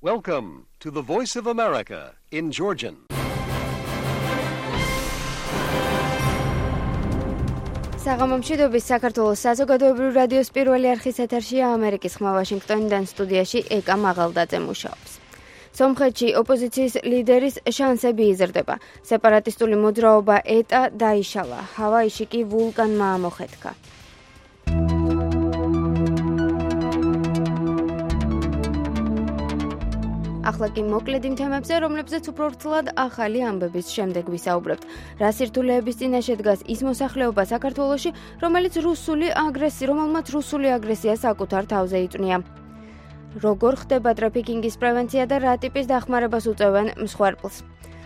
Welcome to the Voice of America in Georgian. საღამომშვიდობის საქართველოს საზოგადოებრივი რადიოს პირველი არხის ეთერშია ამერიკის ხმა ვაშინგტონიდან სტუდიაში ეკა მაღალდაძე მუშაობს. სომხეთში ოპოზიციის ლიდერის შანსები იზრდება. სეპარატისტული მოძრაობა ეტა დაიშალა. ჰავაიში კი ვულკანმა ამოხეთქა. ახლა კი მოკლედ იმ თემებზე, რომლებზეც უფრო ვრცლად ახალი ამბების შემდეგ ვისაუბრებთ. რა სირთულეების წინაშე დგას ის მოსახლეობა საქართველოში, რომელმაც რუსული აგრესია საკუთარ თავზე იწვნია. როგორ ხდება ტრაფიკინგის პრევენცია და რა ტიპის დახმარებას უწევენ მსხვერპლს.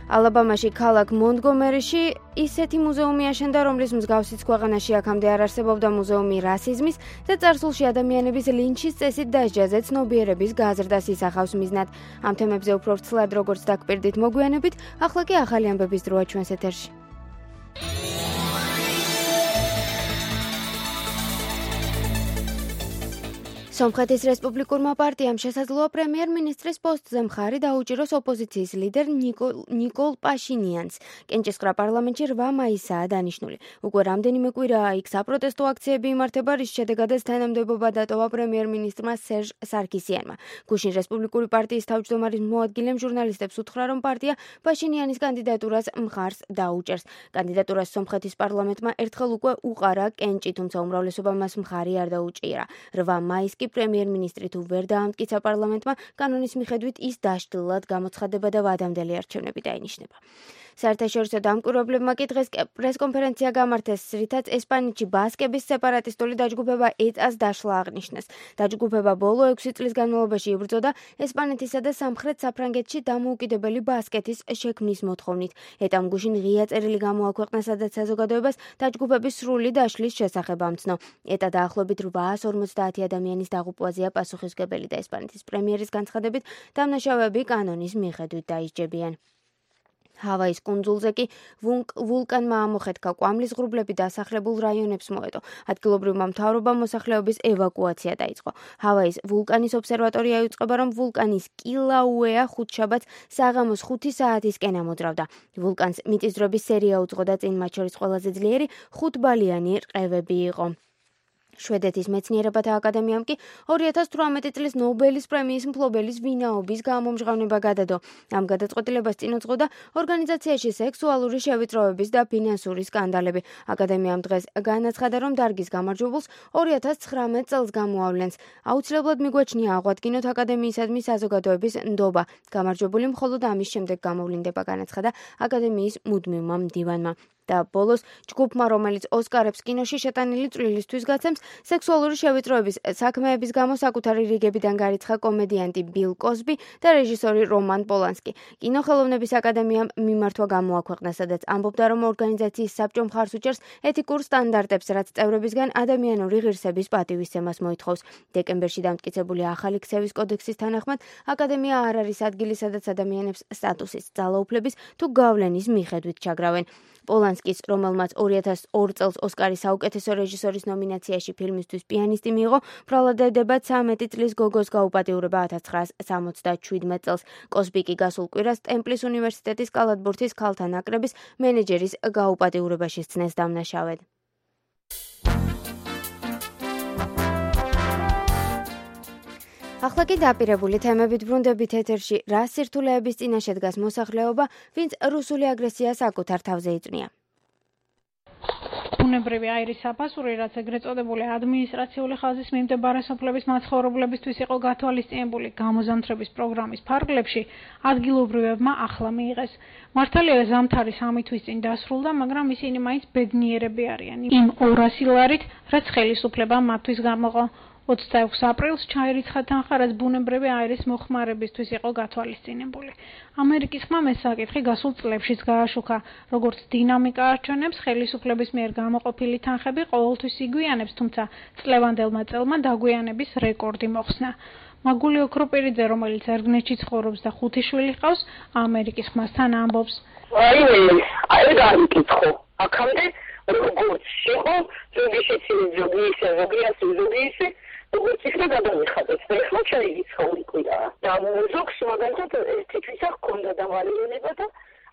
ალაბამაში ქალაქ მონტგომერიში ისეთი მუზეუმი აშენდა, რომლის მსგავსიც ქვეყანაში აქამდე არ არსებობდა მუზეუმი რასიზმის და წარსულში ადამიანების ლინჩის წესით დასჯაზე ცნობიერების გაზრდას ისახავს მიზნად. ამ თემებზე უფრო ვრცლად როგორც დაგპირდით მოგვიანებით, ახლა კი ახალი ამბების დროა ჩვენს ეთერში. სომხეთის რესპუბლიკურმა პარტიამ შესაძლოა პრემიერ-მინისტრის პოსტზე მხარი დაუჭიროს ოპოზიციის ლიდერ ნიკოლ პაშინიანს. კენჭისყრა პარლამენტში 8 მაისაა დანიშნული. უკვე რამდენიმე კვირაა იქ საპროტესტო აქციები იმართება, რის შედეგადაც თანამდებობა დატოვა პრემიერ-მინისტრმა სერჟ სარკისიანმა. გუშინ რესპუბლიკური პარტიის თავმჯდომარის მოადგილემ ჟურნალისტებს უთხრა, რომ პარტია პაშინიანის კანდიდატურას მხარს დაუჭერს. კანდიდატურას სომხეთის პარლამენტმა ერთხელ უკვე უყარა კენჭი, თუმცა უმრავლესობა მას მხარი არ დაუჭირა. 8 მაისს პრემიერ-მინისტრი თუ ვერ დაამტკიცა პარლამენტმა, კანონის მიხედვით ის დაშლილად გამოცხადება და ვადამდელი არჩევნები დაინიშნება. საერთაშორისო დამკვირვებლებმა კი დღეს პრესკონფერენცია გამართეს, რითაც ესპანეთში ბასკების სეპარატისტული დაჯგუფება ეტას დაშლა აღნიშნეს. დაჯგუფება ბოლო 6 წლის განმავლობაში იბრძოდა ესპანეთისა და სამხრეთ საფრანგეთში დამოუკიდებელი ბასკეთის შექმნის მოთხოვნით. ეტამ გუშინ ღია წერილი გამოაქვეყნა, სადაც საზოგადოებას დაჯგუფების სრული დაშლის შესახებ ამცნო. ეტა დაახლოებით 850 ადამიანის დაღუპვაზეა პასუხისმგებელი და ესპანეთის პრემიერის განცხადებით დამნაშავეები კანონის მიხედვით დაისჯებიან. ჰავაის კუნძულზე კი ვულკანმა ამოხეთქა, კვამლის ღრუბლები დასახლებულ რაიონებს მოედო. ადგილობრივმა მთავრობამ მოსახლეობის ევაკუაცია დაიწყო. ჰავაის ვულკანის ობსერვატორია იუწყება, რომ ვულკანის კილაუეა ხუთშაბათს საღამოს 5 საათისკენ ამოძრავდა. ვულკანს მიწისძვრების სერია უძღო და წინ მათ შორის ყველაზე ძლიერი 5-ბალიანი რყევები იყო. შვედეთის მეცნიერებათა აკადემიამ კი 2018 წლის ნობელის პრემიის მფლობელის ვინაობის გამომჟღავნება გადადო. ამ გადაწყვეტილებას წინ უძღოდა ორგანიზაციაში სექსუალური შევიწროების და ფინანსური სკანდალები. აკადემიამ დღეს განაცხადა, რომ დარგის გამარჯვებულს 2019 წელს გამოავლენს. აუცილებლად მიგვაჩნია აღვადგინოთ აკადემიისადმი საზოგადოების ნდობა. გამარჯვებული მხოლოდ ამის შემდეგ გამოვლინდება, განაცხადა აკადემიის მუდმივმა მდივანმა. და ბოლოს ჯგუფმა, რომელიც ოსკარებს კინოში შეტანილი წვლილისთვის გაცემს, სექსუალური შევიწროების საქმეების გამო საკუთარი რიგებიდან გარიცხა კომედიანტი ბილ კოზბი და რეჟისორი რომან პოლანსკი. კინოხელოვნების აკადემიამ მიმართვა გამოაქვეყნა, სადაც ამბობდა, რომ ორგანიზაციის საბჭო მხარს უჭერს ეთიკურ სტანდარტებს, რაც წევრებისგან ადამიანური ღირსების პატივისცემას მოითხოვს. დეკემბერში დამტკიცებული ახალი ქცევის კოდექსის თანახმად, აკადემია არ არის ადგილი, სადაც ადამიანებს სტატუსის, ძალაუფლების თუ გავლენის მიხედვით ჩაგრავენ. პოლანსკის, რომელმაც 2002 წელს ოსკარის საუკეთესო რეჟისორის ნომინაციაში ფილმისთვის პიანისტი მიიღო, ბრალადდება 13 წლის გოგოს გაუპატიურება 1977 წელს. კოზბი კი გასულ კვირას ტემპლის უნივერსიტეტის კალათბურთის ქალთა ნაკრების მენეჯერის გაუპატიურებაში სცნეს დამნაშავედ. ახლა კი დაპირებული თემებით ბრუნდებით ეთერში. რა სირთულეების წინაშე დგას მოსახლეობა, ვინც რუსული აგრესია საკუთარ თავზე იწვნია. ბუნებრივი აირის საფასური, რაც ეგრეთ წოდებული ადმინისტრაციული ხაზის მიმდებარე სოფლების მაცხოვრებლებისთვის იყო გათვალისწინებული გამოზამთრების პროგრამის ფარგლებში, ადგილობრივებმა ახლა მიიღეს. მართალია ზამთარი 3 თვის წინ დასრულდა, მაგრამ ისინი მაინც ბედნიერები არიან იმ 200 ლარით, რაც ხელისუფლებამ მათთვის გამოყო. 26 აპრილს ჩაირიცხა თანხა, რაც ბუნებრივი აირის მოხმარებისთვის იყო გათვალისწინებული. ამერიკის ხმამ ეს საკითხი გასულ წლებშიც გააშუქა. როგორც დინამიკა არჩევნებს, ხელისუფლების მიერ გამოყოფილი თანხები ყოველთვის იგვიანებს, თუმცა წლევანდელმა წელმა დაგვიანების რეკორდი მოხსნა. მაგული ოქროპირიძე, რომელიც ერგნეთში ცხოვრობს და 5 შვილი ჰყავს, ამერიკის ხმასთან ამბობს. აი გამიკითხო. აქამდე როგორც იყო, ზოგი ისე, ზოგი ასე, როგორც ისე გადავიხადეთ და ეხლა შეიძლება ვიკვირა და ზოგს მაგალითად თვითონ ჰქონდა დავალიანება და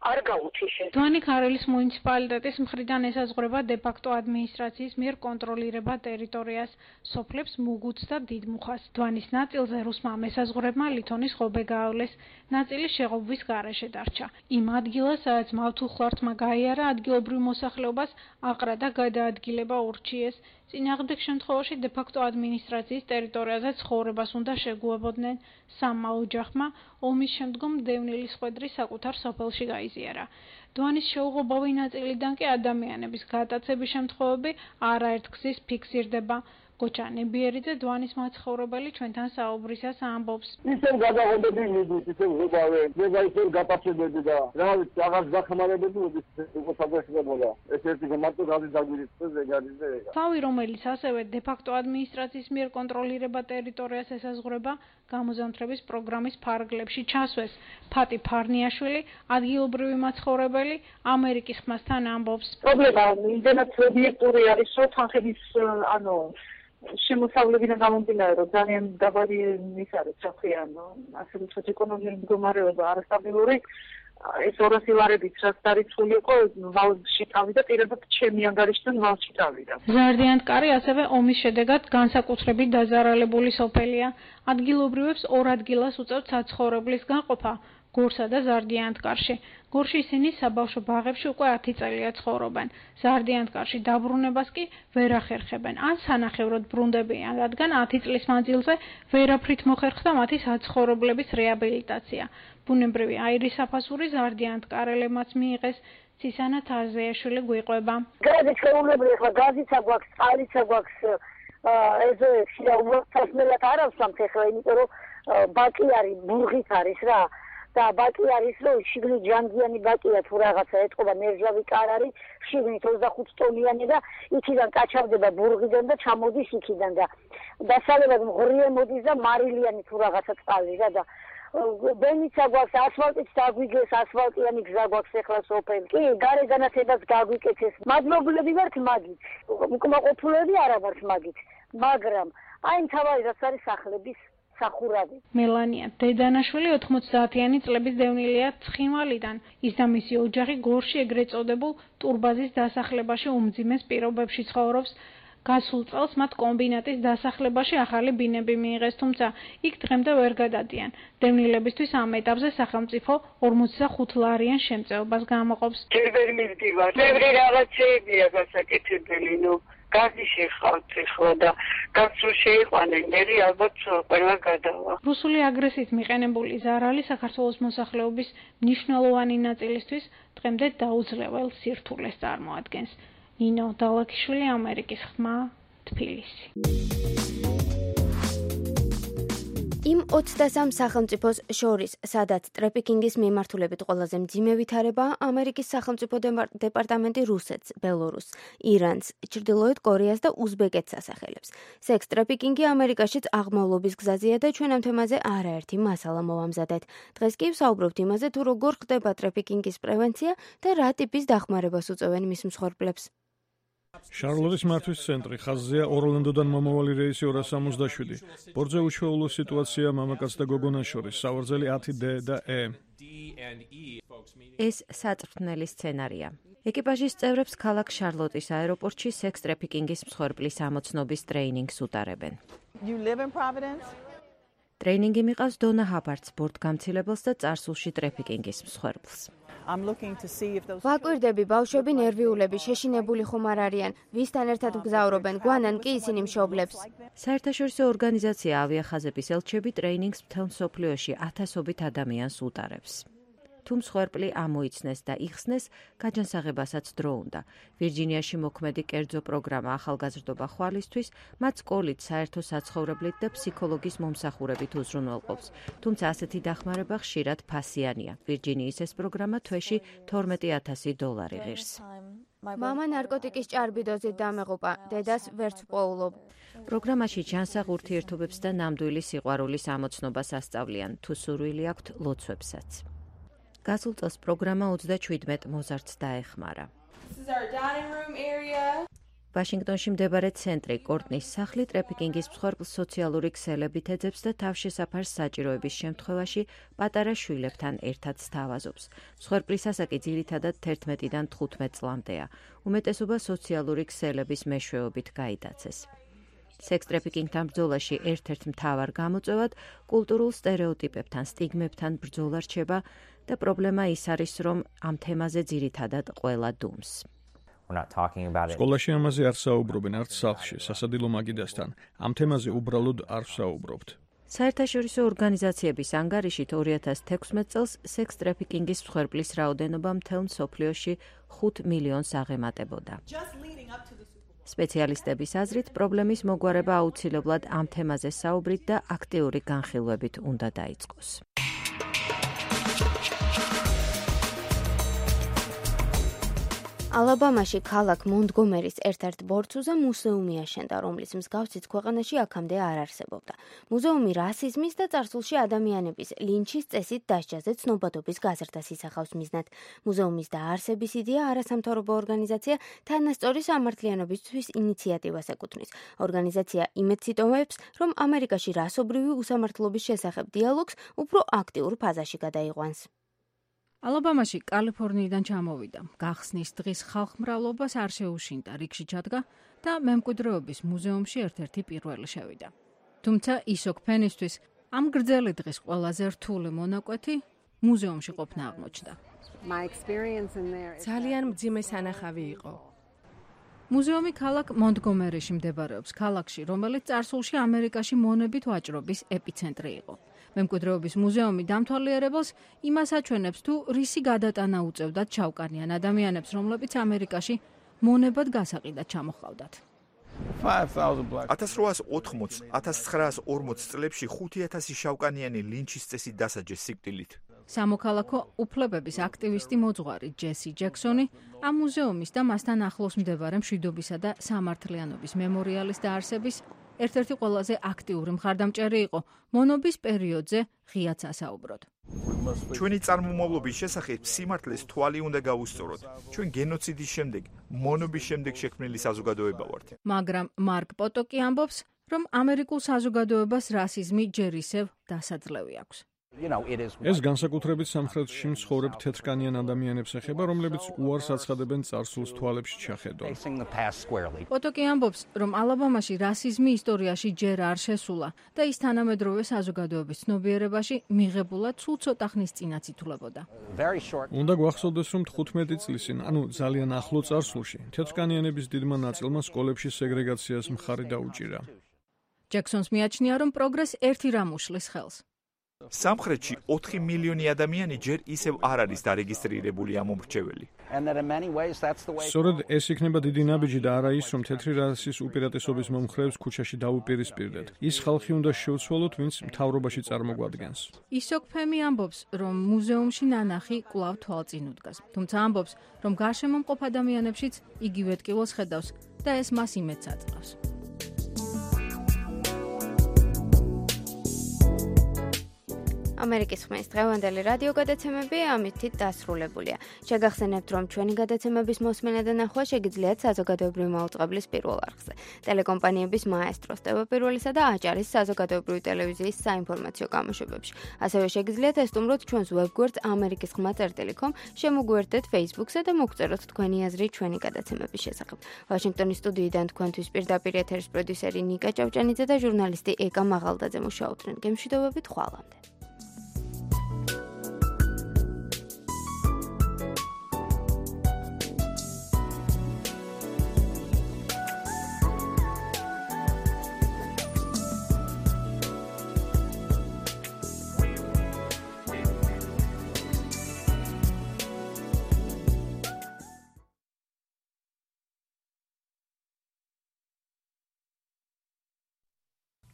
არ გაუჩიშეს. დვანი ქარელის მუნიციპალიტეტის მხრიდან ესაზღვრება დე-ფაქტო ადმინისტრაციის მიერ კონტროლირება ტერიტორიას, სოფლებს მუგუთს და დიდმუხას. დვანის ნაწილზე რუსმა მესაზღვრებმა ლითონის ღობე გაავლეს, ნაწილი შეღობის გარეშე დარჩა. იმ ადგილას, სადაც მავთულხლართმა გაიარა ადგილობრივ მოსახლეობას, აყრა და გადაადგილება ურჩიეს. წინააღმდეგ შემთხვევაში დე-ფაქტო ადმინისტრაციის ტერიტორიაზე ცხოვრებას უნდა შეგუებოდნენ. სამმა ოჯახმა ომის შემდგომ დევნილის ხვედრი საკუთარ სოფელში გაიზიარა. დვანის შეუღობავი ნაწილიდან კი ადამიანების გადაცების შემთხვევები არაერთგზის ფიქსირდება. გოჩა ნებიერიძე დვანის მაცხოვრებელი ჩვენთან საუბრისას ამბობს. ისევ გადაღებები მიდით, ისევ ვებავე, ისევ გაპასებები და რა ვიცი, რაღაც გახმარებები მოდით, უკვე საფეხებოდა. ეს ერთი მარტო რაზი დაგვირიცხეს ეგ არის და ეგ. თავი, რომელიც ასევე დე-ფაქტო ადმინისტრაციის მიერ კონტროლირება ტერიტორიას ესაზღვრება, გამოზამთრების პროგრამის ფარგლებში ჩასვეს. ფატი ფარნიაშვილი, ადგილობრივი მაცხოვრებელი, ამერიკის ხმასთან ამბობს. პრობლემა იმდენად ობიექტური არის, რომ თანხების შემოსავლებიდან გამომდინარე, რომ ძალიან დაბალი ის არის, რა ქვია, ასე ვთქვათ, ეკონომიკური მდგომარეობა არასტაბილური, ეს 200 ლარებით რაც დარიცხული იყო, ვალში წავიდა, პირადად ჩემი ანგარიშთან ვალში წავიდა. ზარდიანტკარი ასევე ომის შედეგად განსაკუთრებით დაზარალებული სოფელია. ადგილობრივებს ორ ადგილას უწევთ საცხოვრებლის გაყოფა. გორსა და ზარდიანტკარში. გორში ისინი საბავშვო ბაღებში უკვე 10 წელია ცხოვრობენ. ზარდიანტკარში დაბრუნებას კი ვერ ახერხებენ. ან სანახევროდ ბრუნდებიან, რადგან 10 წლის მანძილზე ვერაფრით მოხერხდა მათი საცხოვრებლების რეაბილიტაცია. ბუნებრივი აირის საფასური ზარდიანტკარელებმაც მიიღეს. ცისანა თარზეაშვილი გვიყვება. გაზი შეუძლებელი ხა გაზიც აგვაქვს, წყალიც აგვაქვს, ეზოებში და უბრალოდ არ ავსვამთ ახლა, იმიტომ რომ ბაკი არის, ბურღით არის რა. და ბაკი არის, რომ შიგნით ჯანგიანი ბაკია თუ რაღაცა ეთყობა მერჟავი კარ არის, შიგნით 25 ტონიანი და იქიდან კაჩავდება ბურღიდან და ჩამოდის იქიდან და დასავლეთად მღრიე მოდის და მარილიანი თუ რაღაცა წყალი რა და ბენიცა გვაქვს, ასფალტიც დაგვიგეს, ასფალტიანი გზა გვაქვს ახლა სოფელი. კი, გარე განათებას გაგვიკეთეს. მადლობლები ვართ მაგით. უკმაყოფილები არა ვართ მაგით, მაგრამ აი თავარი რაც არის სახლების სახურავი. მელანია დედანაშვილი 90-იანი წლების დევნილია ცხინვალიდან. ის და მისი ოჯახი გორში ეგრეთ წოდებულ ტურბაზის დასახლებაში უმძიმეს პირობებში ცხოვრობს. გასულ წელს მათ კომბინატის დასახლებაში ახალი ბინები მიიღეს, თუმცა იქ დღემდე ვერ გადადიან. დევნილებისთვის ამ ეტაპზე სახელმწიფო 45 ლარიან შემწეობას გამოყოფს. ჯერ ვერ მივდივარ. ბევრი რაღაცეებია გასაკეთებელი, გაზი შეხავთ ახლა და გასულ შეიყვანენ, მე ალბათ ყველა გადავა. რუსული აგრესიით მიყენებული ზარალი საქართველოს მოსახლეობის მნიშვნელოვანი ნაწილისთვის დღემდე დაუძლებელ სირთულეს წარმოადგენს. ნინო დალაქიშვილი, ამერიკის ხმა, თბილისი. იმ 23 სახელმწიფოს შორის, სადაც ტრაფიკინგის მიმართულებით ყველაზე მძიმე ვითარებაა ამერიკის სახელმწიფო დეპარტამენტი რუსეთს, ბელორუსს, ირანს, ჩრდილოეთ კორეას და უზბეკეთს ასახელებს. სექს ტრაფიკინგი ამერიკაშიც აღმავლობის გზაზეა და ჩვენ ამ თემაზე არაერთი მასალა მოვამზადეთ. დღეს კი ვსაუბრობთ იმაზე, თუ როგორ ხდება ტრაფიკინგის პრევენცია და რა ტიპის დახმარებას უწევენ მის მსხვერპლებს. შარლოტის მართვის ცენტრი ხაზზეა ორლანდოდან მომავალი რეისი 267. ბორტზე უჩვეულო სიტუაცია მამაკაც და გოგონას შორის, სავარძელი 10D და E. ეს საწვრთნელი სცენარია. ეკიპაჟის წევრებს ქალაქ შარლოტის აეროპორტში სექს ტრაფიკინგის მსხვერპლის ამოცნობის ტრეინინგს უტარებენ. ტრეინინგი მიყავს დონა ჰაბარტს, ბორტგამცილებელს და წარსულში ტრაფიკინგის მსხვერპლს. ვაკვირდები, ბავშვები ნერვიულები, შეშინებული ხომ არ არიან, ვისთან ერთად გზავრობენ, გვანან კი ისინი მშობლებს. საერთაშორისო ორგანიზაცია ავიახაზების ელჩები ტრეინინგს მთელ მსოფლიოში ათასობით ადამიანს უტარებს. თუ მსხვერპლი ამოიცნეს და იხსნეს, გაჯანსაღებასაც დრო უნდა. ვირჯინიაში მოქმედი კერძო პროგრამა ახალგაზრდობა ხვალისთვის, მათ სკოლით, საერთო საცხოვრებლით და ფსიქოლოგის მომსახურებით უზრუნველყოფს. თუმცა ასეთი დახმარება ხშირად ფასიანია. ვირჯინიის ეს პროგრამა თვეში $12,000 ღირს. მამა ნარკოტიკის ჭარბიდოზით დამეღუპა, დედას ვერც ვპოულობ. პროგრამაში ჯანსაღ ურთიერთობებს და ნამდვილი სიყვარულის ამოცნობას ასწავლიან, თუ სურვილი აქვთ ლოცვებსაც. გასულ წელს პროგრამა 37 მოზარდს დაეხმარა. ვაშინგტონში მდებარე ცენტრი კორტნის სახლი ტრაფიკინგის მსხვერპლ სოციალური ქსელებით ეძებს და თავშესაფარს საჭიროების შემთხვევაში პატარა შვილებთან ერთად სთავაზობს. მსხვერპლის ასაკი ძირითადად 11-დან 15 წლამდეა. უმეტესობა სოციალური ქსელების მეშვეობით გაიტაცეს. სექს ტრაფიკინგთან ბრძოლაში ერთ-ერთ მთავარ გამოწვევად კულტურულ სტერეოტიპებთან, სტიგმებთან ბრძოლა რჩება და პრობლემა ის არის, რომ ამ თემაზე ძირითადად ყველა დუმს. სკოლაში ამაზე არ საუბრობენ, არც სახლში, სასადილო მაგიდასთან. ამ თემაზე უბრალოდ არ ვსაუბრობთ. საერთაშორისო ორგანიზაციების ანგარიშით 2016 წელს სექს ტრაფიკინგის მსხვერპლის რაოდენობა მთელ მსოფლიოში 5 მილიონს აღემატებოდა. სპეციალისტების აზრით, პრობლემის მოგვარება აუცილებლად ამ თემაზე საუბრით და აქტიური განხილვებით უნდა დაიწყოს. ალაბამაში ქალაქ მონტგომერის ერთ-ერთ ბორცვზე მუზეუმი აშენდა, რომლის მსგავსიც ქვეყანაში აქამდე არ არსებობდა. მუზეუმი რასიზმის და წარსულში ადამიანების ლინჩის წესით დასჯაზე ცნობადობის გაზრდას ისახავს მიზნად. მუზეუმის დაარსების იდეა არასამთავრობო ორგანიზაცია თანასწორი სამართლიანობისთვის ინიციატივას ეკუთვნის. ორგანიზაცია იმედს იტოვებს, რომ ამერიკაში რასობრივი უსამართლობის შესახებ დიალოგს უფრო აქტიურ ფაზაში გადაიყვანს. ალაბამაში კალიფორნიიდან ჩამოვიდა. გახსნის დღის ხალხმრავლობას არ შეუშინდა, რიგში ჩადგა და მემკვიდრეობის მუზეუმში ერთ-ერთი პირველი შევიდა. თუმცა ისოკ ფენისთვის ამ გრძელი დღის ყველაზე რთული მონაკვეთი მუზეუმში ყოფნა აღმოჩნდა. ძალიან მძიმე სანახავი იყო. მუზეუმი ქალაქ მონტგომერიში მდებარეობს, ქალაქში, რომელიც წარსულში ამერიკაში მონებით ვაჭრობის ეპიცენტრი იყო. მემკვიდრეობის მუზეუმი დამთვალიერებელს იმას აჩვენებს, თუ რისი გადატანა უწევდათ ჩავკანიან ადამიანებს, რომლებიც ამერიკაში მონებად გასაყიდად ჩამოჰყავდათ. 1880-1940 წლებში 5000 შავკანიანი ლინჩის წესით დასაჯეს სიკვდილით. სამოქალაქო უფლებების აქტივისტი მოძღვარი ჯესი ჯექსონი ამ მუზეუმის და მასთან ახლოს მდებარე მშვიდობისა და სამართლიანობის მემორიალის დაარსების ერთ-ერთი ყველაზე აქტიური მხარდამჭერი იყო. მონობის პერიოდზე ღიაც ასაუბროთ. ჩვენი წარმომავლობის შესახებ სიმართლეს თვალი უნდა გავუსწოროთ. ჩვენ გენოციდის შემდეგ, მონობის შემდეგ შექმნილი საზოგადოება ვართ. მაგრამ მარკ პოტოკი ამბობს, რომ ამერიკულ საზოგადოებას რასიზმი ჯერ ისევ დასაძლევი აქვს. ეს განსაკუთრებით სამხრეთში მცხოვრებ თეთრკანიან ადამიანებს ეხება, რომლებიც უარს აცხადებენ წარსულს თვალებში ჩახედონ. პოტოკი ამბობს, რომ ალაბამაში რასიზმი ისტორიაში ჯერ არ შესულა და ის თანამედროვე საზოგადოების ცნობიერებაში მიღებულად სულ ცოტა ხნის წინაც ითვლებოდა. უნდა გვახსოვდეს, რომ 15 წლის წინ, ანუ ძალიან ახლო წარსულში, თეთრკანიანების დიდმა ნაწილმა სკოლებში სეგრეგაციას მხარი დაუჭირა. ჯექსონს მიაჩნია, რომ პროგრესს ერთი რამ უშლის ხელს. სამხრეთში 4 მილიონი ადამიანი ჯერ ისევ არ არის დარეგისტრირებული ამომრჩეველი. სწორედ ეს იქნება დიდი ნაბიჯი და არა ის, რომ თეთრი რასის უპირატესობის მომხრეებს ქუჩაში დაუპირისპირდეთ. ის ხალხი უნდა შევცვალოთ, ვინც მთავრობაში წარმოგვადგენს. ისოკ ფემი ამბობს, რომ მუზეუმში ნანახი კვლავ თვალწინ უდგას. თუმცა ამბობს, რომ გარშემო მყოფ ადამიანებშიც იგივე ტკივილს ხედავს და ეს მას იმედს აწყავს. ამერიკის ხმის დღევანდელი რადიო გადაცემები ამით დასრულებულია. შეგახსენებთ, რომ ჩვენი გადაცემების მოსმენა და ნახვა შეგიძლიათ საზოგადოებრივი მაუწყებლის პირველ არხზე. ტელეკომპანიების მაესტროს, ტევ1-ისა და აჭარის საზოგადოებრივი ტელევიზიის საინფორმაციო გამოშვებებში. ასევე შეგიძლიათ ესტუმროთ ჩვენს ვებგვერდს amerikiskhma.com, შემოგვიერთდეთ Facebook-ზე და მოგწეროთ თქვენი აზრი ჩვენი გადაცემების შესახებ. ვაშინგტონის სტუდიიდან თქვენთვის პირდაპირ ეთერის პროდიუსერი ნიკა ჭავჭანიძე და ჟურნალისტი ეკა მაღალდაძე მუშაობდნენ. გემშვიდობებით, ხვალამდე.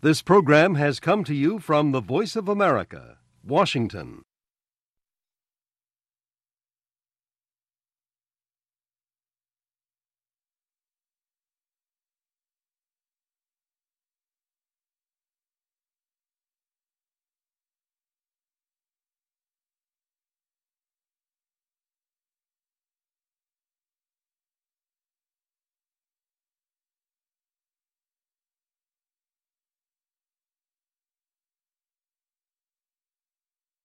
This program has come to you from the Voice of America, Washington.